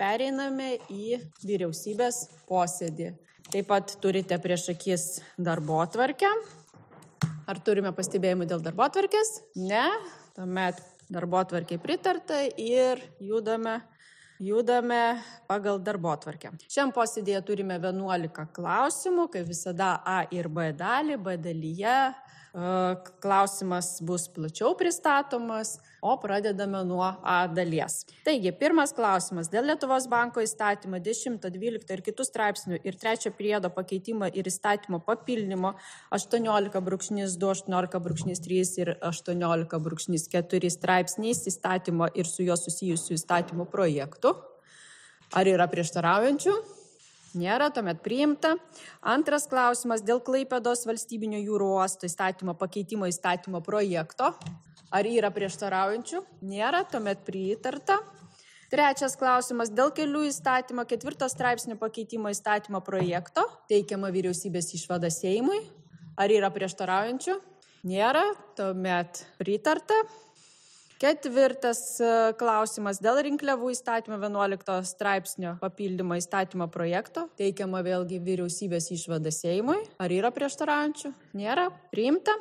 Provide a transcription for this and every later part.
pereiname į vyriausybės posėdį. Taip pat turite prieš akis darbotvarkę. Ar turime pastebėjimų dėl darbotvarkės? Ne. Tuomet darbotvarkei pritarta ir judame pagal darbotvarkę. Šiam posėdėje turime 11 klausimų, kaip visada A ir B dalį. B dalyje klausimas bus plačiau pristatomas, o pradedame nuo A dalies. Taigi, pirmas klausimas dėl Lietuvos banko įstatymo 10, 12 ir kitų straipsnių ir 3 priedo pakeitimo ir įstatymo papildymo 18.2, 18.3 ir 18.4 straipsniais įstatymo ir su juo susijusių įstatymų projektų. Ar yra prieštaraujančių? Nėra, tuomet priimta. Antras klausimas dėl Klaipėdos valstybinio jūrų uosto įstatymo pakeitimo įstatymo projekto. Ar yra prieštaraujančių? Nėra, tuomet pritarta. Trečias klausimas dėl kelių įstatymo 4 straipsnio pakeitimo įstatymo projekto. Teikiama vyriausybės išvada Seimui. Ar yra prieštaraujančių? Nėra, tuomet pritarta. Ketvirtas klausimas dėl rinkliavų įstatymo 11 straipsnio papildymo įstatymo projekto. Teikiama vėlgi vyriausybės išvada Seimui. Ar yra prieštaraujančių? Nėra. Priimta.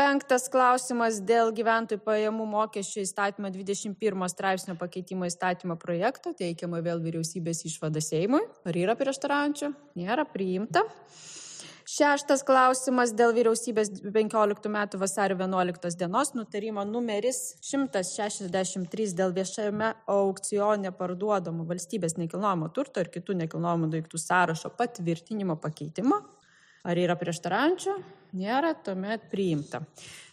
Penktas klausimas dėl gyventojų pajamų mokesčio įstatymo 21 straipsnio pakeitimo įstatymo projekto. Teikiama vėl vyriausybės išvada Seimui. Ar yra prieštaraujančių? Nėra. Priimta. Šeštas klausimas dėl vyriausybės 15 metų vasario 11 dienos nutarimo numeris 163 dėl viešame aukcione parduodamo valstybės nekilnojamo turto ir kitų nekilnojamų daiktų sąrašo patvirtinimo pakeitimo. Ar yra prieštaraujančių? Nėra, tuomet priimta.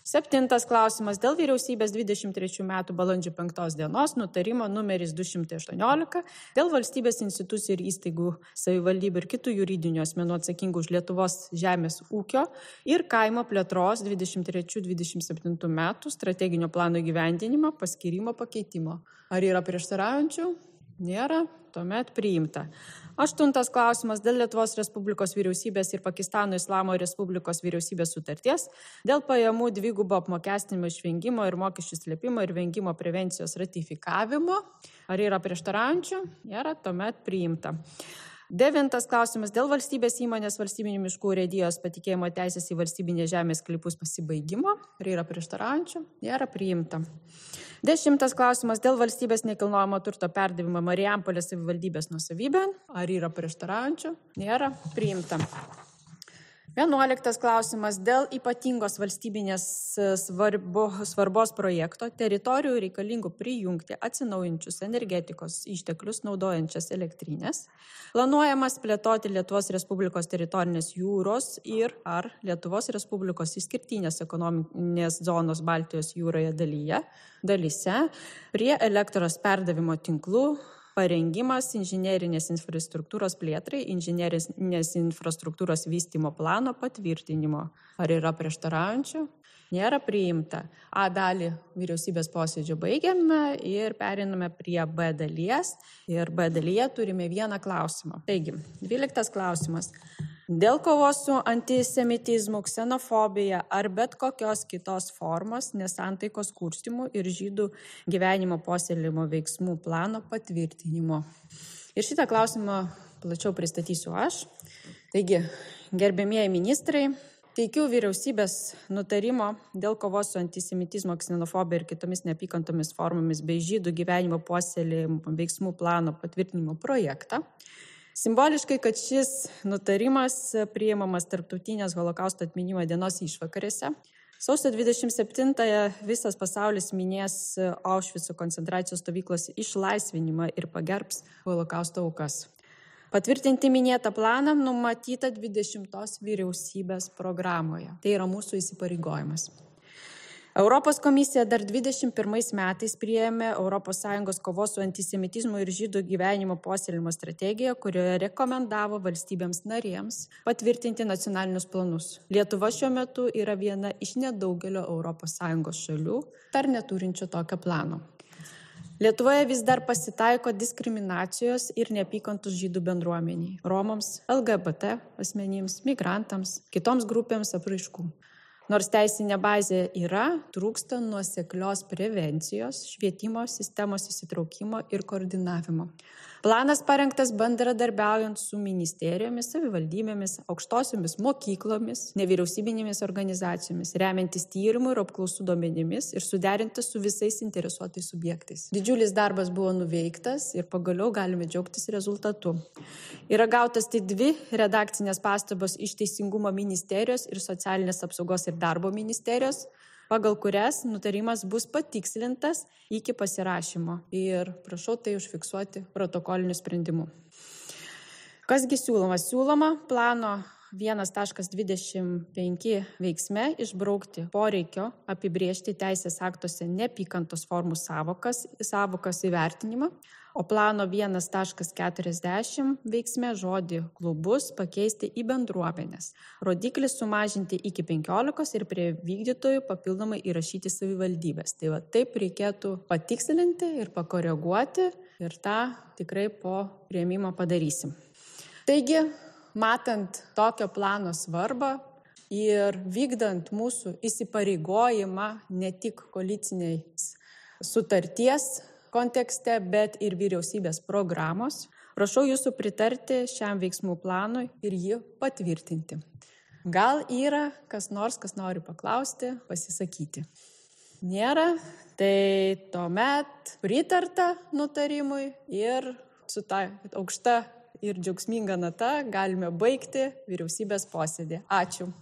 Septintas klausimas dėl vyriausybės 23 metų balandžio 5 dienos nutarimo numeris 218 dėl valstybės institucijų ir įstaigų, savivaldybių ir kitų juridinių asmenų atsakingų už Lietuvos žemės ūkio ir kaimo plėtros 23-27 metų strateginio plano įgyvendinimo paskyrimo pakeitimo. Ar yra prieštaraujančių? Nėra, tuomet priimta. Aštuntas klausimas dėl Lietuvos Respublikos vyriausybės ir Pakistano Islamo Respublikos vyriausybės sutarties dėl pajamų dvigubo apmokestinimo išvengimo ir mokesčių slėpimo ir vengimo prevencijos ratifikavimo. Ar yra prieštaraujančių? Nėra, tuomet priimta. Devintas klausimas dėl valstybės įmonės valstybinių miškų urėdijos patikėjimo teisės į valstybinės žemės sklypus pasibaigimo. Ar yra prieštaraujančių? Nėra, priimta. 10 klausimas dėl valstybės nekilnojamo turto perdavimo Marijampolės savivaldybės nuosavybėn. Ar yra prieštaraujančių? Nėra, priimta. 11 klausimas dėl ypatingos valstybinės svarbos projekto teritorijų reikalingų prijungti atsinaujinčius energetikos išteklius naudojančias elektrinės. Planuojamas plėtoti Lietuvos Respublikos teritorinės jūros ir ar Lietuvos Respublikos išskirtinės ekonominės zonos Baltijos jūroje dalyse prie elektros perdavimo tinklų parengimas inžinerinės infrastruktūros plėtrai, inžinerinės infrastruktūros vystymo plano patvirtinimo. Ar yra prieštaraujančių? Nėra, priimta. A dalį vyriausybės posėdžio baigiame ir periname prie B dalies. Ir B dalyje turime vieną klausimą. Taigi, 12 klausimas. Dėl kovos su antisemitizmu, ksenofobija ar bet kokios kitos formos nesantaikos kurstymų ir žydų gyvenimo puoselėjimo veiksmų plano patvirtinimo. Ir šitą klausimą plačiau pristatysiu aš. Taigi, gerbėmieji ministrai, teikiu vyriausybės nutarimo dėl kovos su antisemitizmo, ksenofobija ir kitomis neapykantomis formomis bei žydų gyvenimo puoselėjimo veiksmų plano patvirtinimo projektą. Simboliškai, kad šis nutarimas priimamas Tarptautinės holokausto atminimo dienos išvakarėse. Sausio 27-ąją visas pasaulis minės Aušvico koncentracijos stovyklos išlaisvinimą ir pagerbs holokausto aukas. Patvirtinti minėtą planą numatyta 20 vyriausybės programoje. Tai yra mūsų įsipareigojimas. Europos komisija dar 21 metais priėmė ES kovos su antisemitizmu ir žydų gyvenimo puoselėjimo strategiją, kurioje rekomendavo valstybėms narėms patvirtinti nacionalinius planus. Lietuva šiuo metu yra viena iš nedaugelio ES šalių, dar neturinčio tokio plano. Lietuvoje vis dar pasitaiko diskriminacijos ir neapykantos žydų bendruomeniai, romams, LGBT asmenims, migrantams, kitoms grupėms apraiškų. Nors teisinė bazė yra, trūksta nuoseklios prevencijos, švietimo sistemos įsitraukimo ir koordinavimo. Planas parengtas bendradarbiaujant su ministerijomis, savivaldybėmis, aukštosiomis mokyklomis, nevyriausybinėmis organizacijomis, remiantis tyrimų ir apklausų duomenimis ir suderintas su visais interesuotais subjektais. Didžiulis darbas buvo nuveiktas ir pagaliau galime džiaugtis rezultatu. Yra gautas tik 2 redakcinės pastabos iš Teisingumo ministerijos ir Socialinės apsaugos ir darbo ministerijos, pagal kurias nutarimas bus patikslintas iki pasirašymo ir prašau tai užfiksuoti protokoliniu sprendimu. Kasgi siūloma? Siūloma plano 1.25 veiksme išbraukti poreikio apibrėžti teisės aktuose neapykantos formų sąvokas įvertinimą, o plano 1.40 veiksme žodį klubus pakeisti į bendruomenės, rodiklį sumažinti iki 15 ir prie vykdytojų papildomai įrašyti savivaldybės. Tai va, taip reikėtų patikslinti ir pakoreguoti ir tą tikrai po priėmimo padarysim. Taigi, matant tokio plano svarbą ir vykdant mūsų įsipareigojimą ne tik koalicinės sutarties kontekste, bet ir vyriausybės programos, prašau jūsų pritarti šiam veiksmų planui ir jį patvirtinti. Gal yra kas nori paklausti, pasisakyti? Nėra, tai tuomet pritarta nutarimui ir su ta aukšta ir džiaugsminga nata galime baigti vyriausybės posėdį. Ačiū.